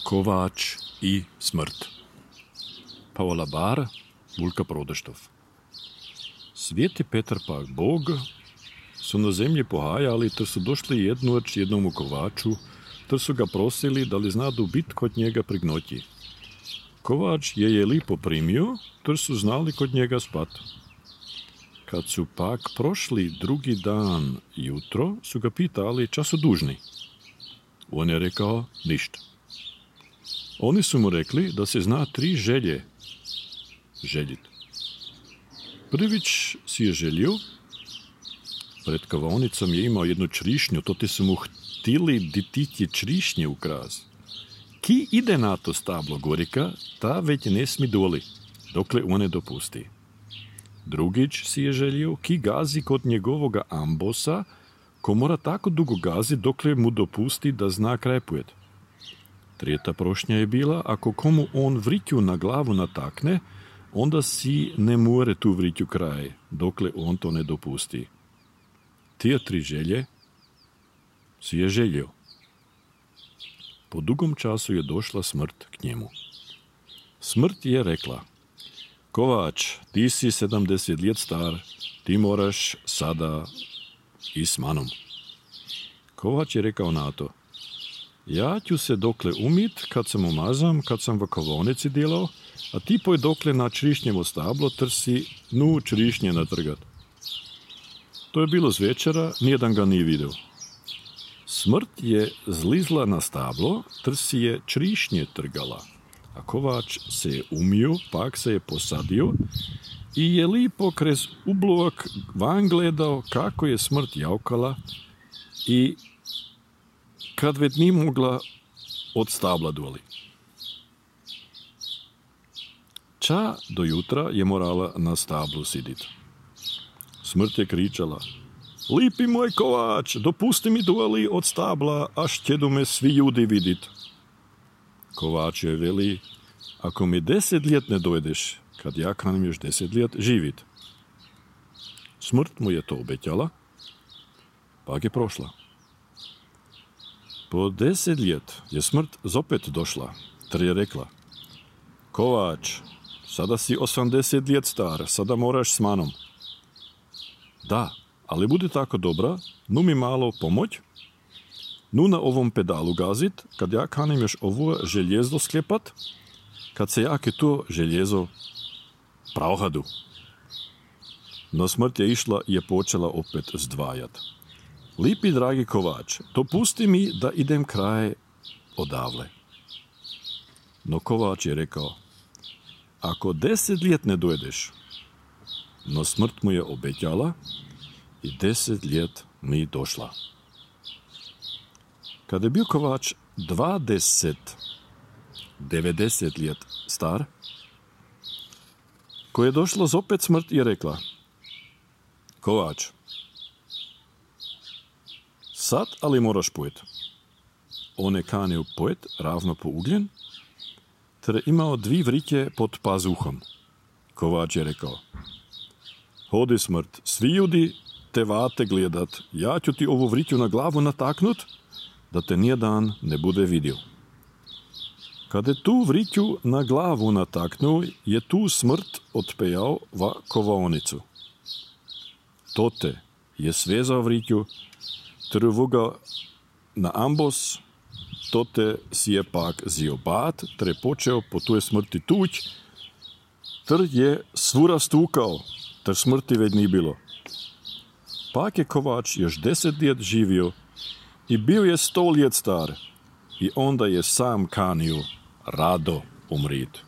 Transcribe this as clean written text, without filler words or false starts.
Kovač i smrt. Pavola Bar, Vulka Prodeštov. Svijeti Petar pak Bog su na zemlji pohajali, ter su došli jednoć jednomu kovaču, ter su ga prosili da li znadu bit kod njega prignoti. Kovač je lipo primio, ter su znali kod njega spat. Kad su pak prošli drugi dan jutro, su ga pitali ča su dužni. On je rekao ništa. Oni su mu rekli da se zna 3 želje željit. Prvić si je želio, pred kavaonicom je imao jednu črišnju, to ti su mu htili dititje črišnje ukraz. Ki ide na to stablo gorika, ta već ne smi doli, dokle on ne dopusti. Drugić si je želio, ki gazi kod njegovoga ambosa, ko mora tako dugo gazi dokle mu dopusti da zna krepujeti. Trijeta prošnja je bila, ako komu on vritju na glavu natakne, onda si ne more tu vritju kraj, dokle on to ne dopusti. Tije 3 želje si je želio. Po dugom času je došla smrt k njemu. Smrt je rekla: Kovač, ti si 70 let star, ti moraš sada i s manom. Kovač je rekao na to: Ja ću se dokle umit, kad sam umazam, kad sam v kavaonici delal, a ti poj dokle na črišnjevo stablo trsi nu črišnje natrgat. To je bilo zvečera, nijedan ga nije vidio. Smrt je zlizla na stablo, trsi je črišnje trgala, a Kovač se je umio, pak se je posadio i je lipo krez ublovak van gledao kako je smrt javkala i kad već nije mogla od stabla doli. Ča do jutra je morala na stablu sidit. Smrt je kričala: Lipi moj Kovač, dopusti mi doli od stabla, až tjedu me svi ljudi vidit. Kovač je veli: Ako mi 10 let ne dojdeš, kad ja kanim još 10 let živit. Smrt mu je to obećala, pak je prošla. Po 10 let je smrt zopet došla, ter je rekla: Kovač, sada si 80 let star, sada moraš s manom. Da, ali budi tako dobra, nu mi malo pomoć, nu na ovom pedalu gazit, kad ja kanim još ovo željezo sklepat, kad se jake to željezo pravhadu. No smrt je išla i je počela opet zdvajat. Lipi dragi Kovač, dopusti mi da idem kraj odavle. No Kovač je rekao: Ako 10 let ne dojdeš, no smrt mu je obećala i 10 let mi došla. Kada je bio Kovač 90 let star, ko je došla zopet smrt i rekla: Kovač, sad ali moraš pojet. On je kanio pojet ravno po ugljen, ter imao 2 vritje pod pazuhom. Kovač je rekao: Hodi smrt, svi ljudi te vate gledat, ja ću ti ovu vritju na glavu nataknut, da te nijedan ne bude vidio. Kad je tu vritju na glavu nataknuo, je tu smrt otpejao va kovaonicu. Tote je svezao vritju, ter vuga na ambos, tote si je pak zio bat, ter je počeo po tuje smrti tuć, ter je svura stukao, ter smrti već nije bilo. Pak je Kovač još 10 let živio i bio je 100 let star i onda je sam kanio rado umrit.